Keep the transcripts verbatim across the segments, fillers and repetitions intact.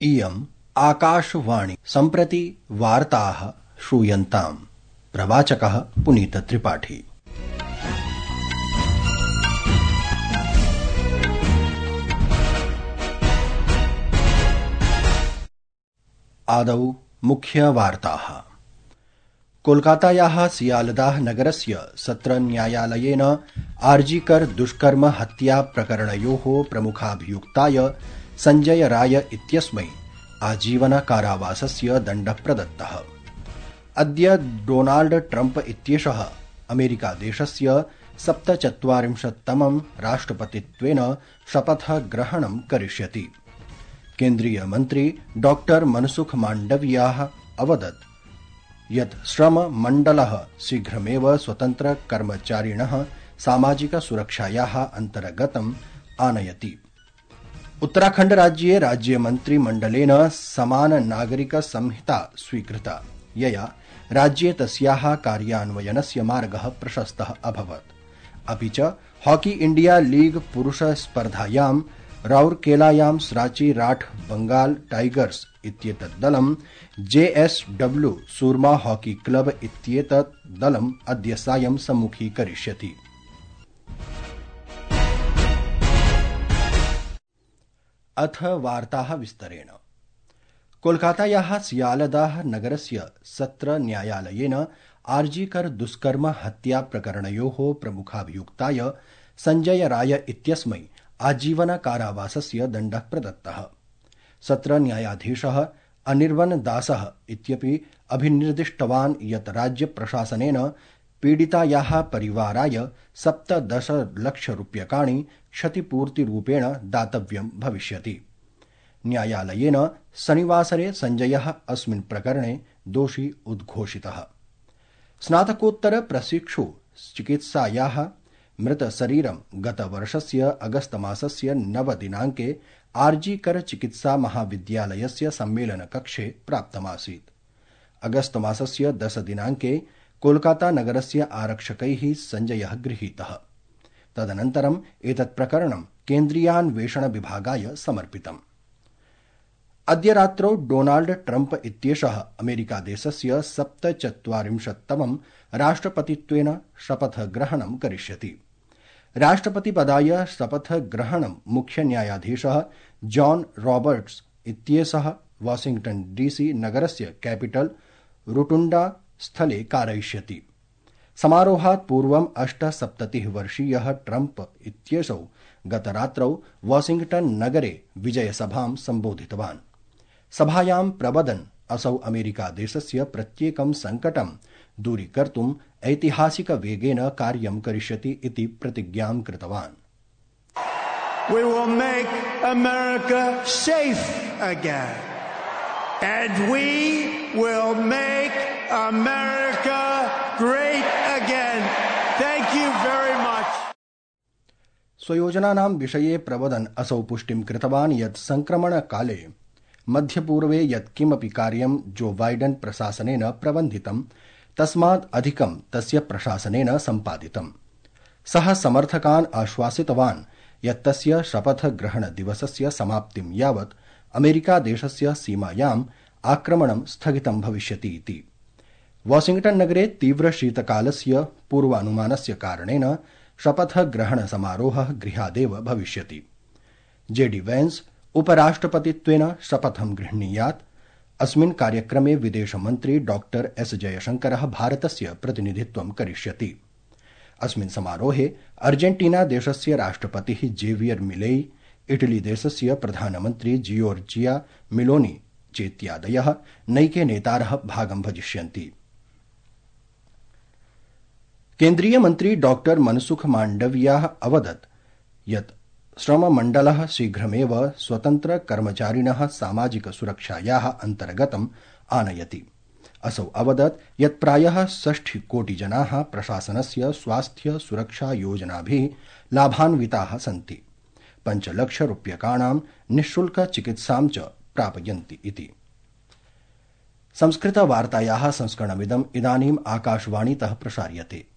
इयम् आकाशवाणी सम्प्रति वार्ताः श्रूयन्ताम्। प्रवाचकः पुनीतत्रिपाठी। आदौ मुख्यवार्ताः। कोलकातायाः सियालदाह नगरस्य सत्रन्यायालयेन आर्जीकर दुष्कर्म हत्या प्रकरणयोः प्रमुखाभियुक्ताय संजय राय इत्यस्मै आजीवन कारावासस्य दण्डः प्रदत्तः। अद्य डोनाल्ड ट्रम्प इत्येषः अमेरिकादेशस्य सप्तचत्वारिंशत्तमं राष्ट्रपतित्वेन शपथग्रहणं करिष्यति। केन्द्रीयमन्त्री डॉक्टर मनसुख माण्डवियाः अवदत् यत् श्रममण्डलः शीघ्रमेव स्वतन्त्रकर्मचारिणः सामाजिकसुरक्षायाः अन्तर्गतम् आनयति। उत्तराखण्ड राज्ये राज्यमन्त्रिमण्डलेन समान नागरिक संहिता स्वीकृता, यया राज्ये तस्याः कार्यान्वयनस्य मार्गः प्रशस्तः अभवत्। अपि च हॉकी इण्डिया लीग पुरुष स्पर्धायां राउरकेलायां सराची राठ बंगाल टाइगर्स इत्येतत् दलं जेएसडब्ल्यू सूरमा हॉकी क्लब इत्येतत् दलम् अद्य सायं सम्मुखीकरिष्यति। अथ वार्ताः विस्तरेण। कोलकातायाः सियालदाह नगरस्य सत्र न्यायालयेन आर्जीकर दुष्कर्म हत्या प्रकरणयोः प्रमुखाभियुक्ताय संजय राय इत्यस्मै आजीवन कारावासस्य दण्डः प्रदत्तः। सत्र न्यायाधीशः अनिर्वन दासः इत्यपि अभिनिर्दिष्टवान् यत् राज्य प्रशासनेन पीडितायाः परिवाराय सप्तदशलक्षरूप्यकाणि क्षतिपूर्तिरूपेण दातव्यं भविष्यति। न्यायालयेन शनिवासरे संजयः अस्मिन् प्रकरणे दोषी उद्घोषितः। स्नातकोत्तर प्रशिक्षु चिकित्सायाः मृतशरीरं गतवर्षस्य अगस्तमासस्य नवदिनाङ्के आर्जीकर चिकित्सा महाविद्यालयस्य सम्मेलनकक्षे प्राप्तमासीत्। अगस्तमासस्य दशदिनाङ्के कोलकाता नगरस्य आरक्षकैः संजयः गृहीतः। तदनन्तरम् एतत् प्रकरणं केन्द्रीयान्वेषण विभागाय समर्पितम्। अद्य रात्रौ डोनाल्ड ट्रम्प इत्येषः अमेरिकादेशस्य सप्तचत्वारिंशत्तमं राष्ट्रपतित्वेन शपथग्रहणं करिष्यति। राष्ट्रपतिपदाय शपथग्रहणं मुख्यन्यायाधीशः जॉन रॉबर्ट्स इत्येषः वाशिंग्टन डीसी नगरस्य कैपिटल रोटुण्डा स्थले कारयिष्यति। समारोहात् पूर्वम् अष्टसप्ततिः वर्षीयः ट्रम्प इत्येषौ गतरात्रौ वाशिंग्टन नगरे विजयसभां सम्बोधितवान्। सभायां प्रवदन् असौ अमेरिकादेशस्य प्रत्येकं संकटं दूरीकर्तुम् ऐतिहासिकवेगेन कार्यं करिष्यति इति प्रतिज्ञां कृतवान्। We will make America safe again, and we will make America great again. Thank you very much. स्वयोजनानां विषये प्रवदन् असौ पुष्टिं कृतवान् यत् संक्रमणकाले मध्यपूर्वे यत् किमपि कार्यं जो बाइडन प्रशासनेन प्रबन्धितं तस्मात् अधिकं तस्य प्रशासनेन सम्पादितम्। सः समर्थकान् आश्वासितवान् यत् तस्य शपथग्रहणदिवसस्य समाप्तिं यावत् अमेरिकादेशस्य सीमायाम् आक्रमणं स्थगितं भविष्यति इति। वाशिंग्टन नगरे तीव्रशीतकालस्य पूर्वानुमानस्य कारणेन शपथग्रहणसमारोहः गृहादेव भविष्यति। जेडी वैन्स उपराष्ट्रपतित्वेन शपथं गृह्णीयात्। अस्मिन् कार्यक्रमे विदेशमन्त्री डॉक्टर एस जयशंकरः भारतस्य प्रतिनिधित्वं करिष्यति। अस्मिन् समारोहे अर्जेंटीना देशस्य राष्ट्रपतिः जेवियर मिलेई, इटली देशस्य प्रधानमन्त्री जियोर्जिया मिलोनी चेत्यादयः नैके नेतारः भागं भजिष्यन्ति। केन्द्रीय मन्त्री डॉक्टर मनसुख माण्डवियाः अवदत् यत् श्रममण्डलः शीघ्रमेव स्वतन्त्रकर्मचारिणः सामाजिकसुरक्षायाः अन्तर्गतम् आनयति। असौ अवदत् यत् प्रायः षष्टिकोटिजनाः प्रशासनस्य स्वास्थ्य सुरक्षा योजनाभिः लाभान्विताः सन्ति। पञ्चलक्षरूप्यकाणां निःशुल्क चिकित्सां च प्रापयन्ति इति। संस्कृतवार्तायाः संस्करणमिदम् इदानीम् आकाशवाणीतः प्रसार्यते।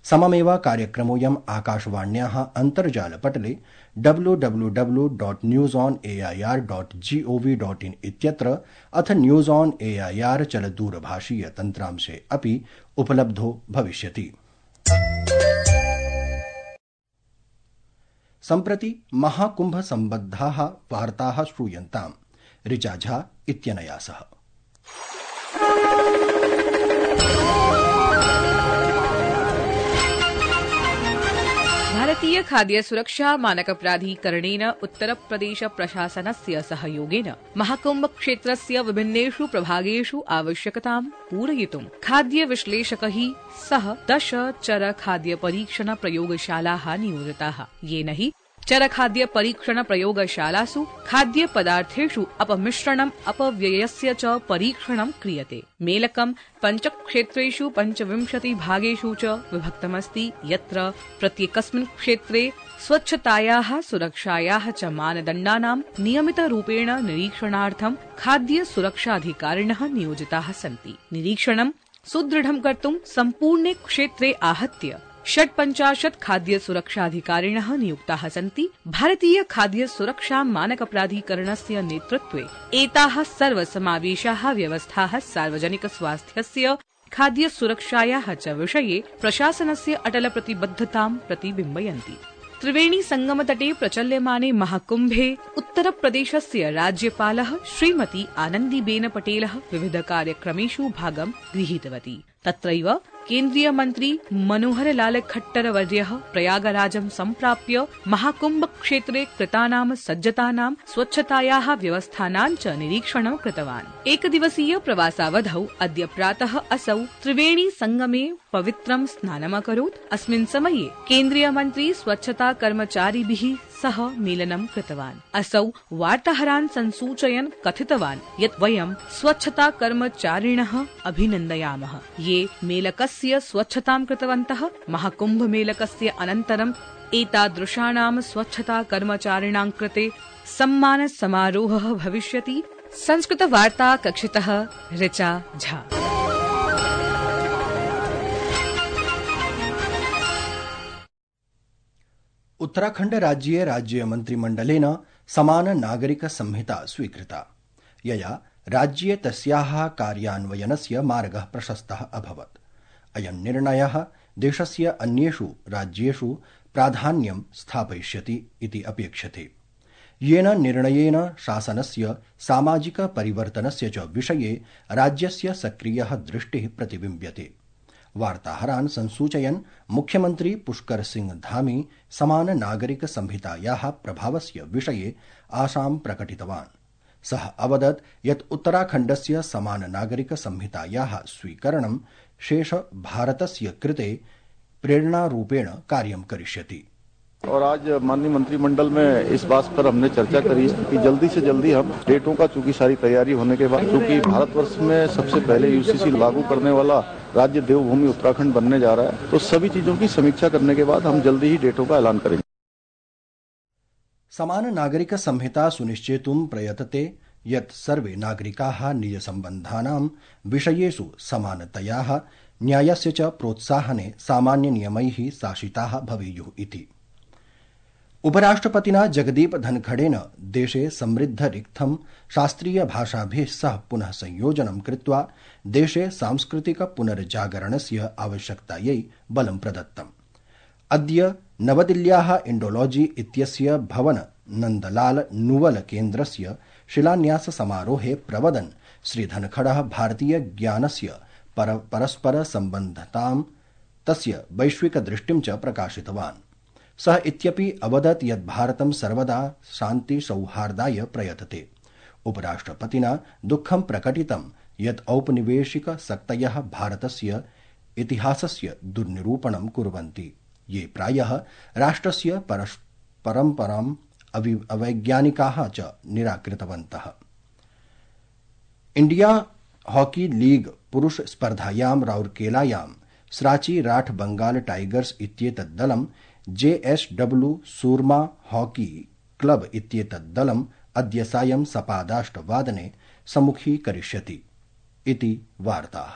सममेव कार्यक्रमोऽयम् आकाशवाण्याः अन्तर्जालपटले W W W dot news on AIR dot gov dot in इत्यत्र अथ न्यूज ऑन एआईआर चलदूरभाषीय तन्त्रांशे अपि उपलब्धो भविष्यति। सम्प्रति महाकुंभ सम्बद्धाः वार्ताः श्रूयन्ताम् ऋचा झा इत्यनया सह। भारतीय खाद्य सुरक्षा मानक प्राधिकरणेन उत्तरप्रदेश प्रशासनस्य सहयोगेन महाकुंभ क्षेत्रस्य विभिन्नेषु प्रभागेषु आवश्यकतां पूरयितुं खाद्य विश्लेषकैः सह दश चर खाद्य परीक्षण प्रयोगशालाः नियोजिताः, येन हि चरखाद्य परीक्षण प्रयोगशालासु खाद्य पदार्थेषु अपमिश्रणम् अपव्ययस्य च परीक्षणं क्रियते। मेलकं पञ्चक्षेत्रेषु पञ्चविंशति भागेषु च विभक्तमस्ति, यत्र प्रत्येकस्मिन् क्षेत्रे स्वच्छतायाः सुरक्षायाः च मानदण्डानां नियमितरूपेण निरीक्षणार्थं खाद्य सुरक्षाधिकारिणः नियोजिताः सन्ति। निरीक्षणं सुदृढं कर्तुं सम्पूर्णे क्षेत्रे आहत्य षट्पञ्चाशत् खाद्य सुरक्षाधिकारिणः नियुक्ताः सन्ति। भारतीय खाद्य सुरक्षा मानक प्राधिकरणस्य नेतृत्वे एताः सर्वसमावेशाः व्यवस्थाः सार्वजनिक स्वास्थ्यस्य खाद्य सुरक्षायाः च विषये प्रशासनस्य अटल प्रतिबद्धतां प्रतिबिम्बयन्ति। त्रिवेणी संगमतटे प्रचल्यमाने महाकुम्भे उत्तरप्रदेशस्य राज्यपालः श्रीमती आनन्दीबेन पटेलः विविध कार्यक्रमेषु भागं गृहीतवती। तत्रैव केन्द्रीय मन्त्री मनोहर लाल खट्टर वर्यः प्रयागराजं सम्प्राप्य महाकुम्भ क्षेत्रे कृतानां सज्जतानां स्वच्छतायाः व्यवस्थानां च निरीक्षणं कृतवान्। एकदिवसीय प्रवासावधौ अद्य प्रातः असौ त्रिवेणी संगमे पवित्रं स्नानमकरोत्। अस्मिन् समये केन्द्रीय मन्त्री स्वच्छता कर्मचारिभिः सह मेलनं कृतवान्। असौ वार्ताहरान् संसूचयन् कथितवान् यत् वयं स्वच्छता कर्मचारिणः अभिनन्दयामः, ये मेलकस्य स्वच्छतां कृतवन्तः। महाकुम्भ मेलकस्य अनन्तरम् एतादृशानां स्वच्छता कर्मचारिणां कृते सम्मान समारोहः भविष्यति। संस्कृत वार्ता कक्षितः ऋचा झा। उत्तराखण्ड राज्ये राज्य मन्त्रिमण्डलेन समान नागरिक संहिता स्वीकृता, यया राज्ये तस्याः कार्यान्वयनस्य मार्गः प्रशस्तः अभवत्। अयं निर्णयः देशस्य अन्येषु राज्येषु प्राधान्यं स्थापयिष्यति इति अपेक्षते, येन निर्णयेन शासनस्य सामाजिक परिवर्तनस्य च विषये राज्यस्य सक्रियः दृष्टिः प्रतिबिम्ब्यते। वार्ताहरान् संसूचयन् मुख्यमन्त्री पुष्कर सिंह धामी समान नागरिक संहितायाः प्रभावस्य विषये आशां प्रकटितवान्। सः अवदत् यत् उत्तराखण्डस्य समान नागरिक संहितायाः स्वीकरणं शेष भारतस्य कृते प्रेरणारूपेण कार्यं करिष्यति। और आज माननीय मंत्रिमंडल में इस बात पर हमने चर्चा करी कि जल्दी से जल्दी हम डेटों का, चूंकि सारी तैयारी होने के बाद, चूंकि भारतवर्ष में सबसे पहले यूसीसी लागू करने वाला राज्य देवभूमि उत्तराखंड बनने जा रहा है, तो सभी चीजों की समीक्षा करने के बाद हम जल्दी ही डेटों का ऐलान करेंगे। समान नागरिक संहिता सुनिश्चेतुं प्रयतते यत् सर्वे नागरिकाः निज सम्बन्धानां विषयेषु समानतयाः न्यायस्य च प्रोत्साहने सामान्य नियमैः शासिताः भवेयुः इति। उपराष्ट्रपतिना जगदीप धनखड़ेन देशे समृद्ध रिक्थं शास्त्रीय भाषाभिः सह पुनः संयोजनं कृत्वा देशे सांस्कृतिक पुनर्जागरणस्य आवश्यकतायै बलं प्रदत्तम्। अद्य नवदिल्ल्याः इंडोलॉजी इत्यस्य भवन नंदलाल नुवल केन्द्रस्य शिलान्यास समारोहे प्रवदन् श्री धनखड़ः भारतीय ज्ञानस्य पर परस्पर सम्बद्धतां तस्य वैश्विक दृष्टिं च प्रकाशितवान्। सः इत्यपि अवदत् यत् भारतं सर्वदा शान्ति सौहार्दाय प्रयतते। उपराष्ट्रपतिना दुःखं प्रकटितं यत् औपनिवेशिक शक्तयः भारतस्य इतिहासस्य दुर्निरूपणं कुर्वन्ति, ये प्रायः राष्ट्रस्य परम्पराम् अवैज्ञानिकाः च निराकृतवन्तः। इंडिया हॉकी लीग पुरुष स्पर्धायां राउरकेलायां सराची राठ बंगाल टाइगर्स इत्येतत् दलं जेएसडब्ल्यू सूरमा हॉकी क्लब इत्येतत् दलम् अद्य सायं सपादाष्टवादने सम्मुखीकरिष्यति इति वार्ताः।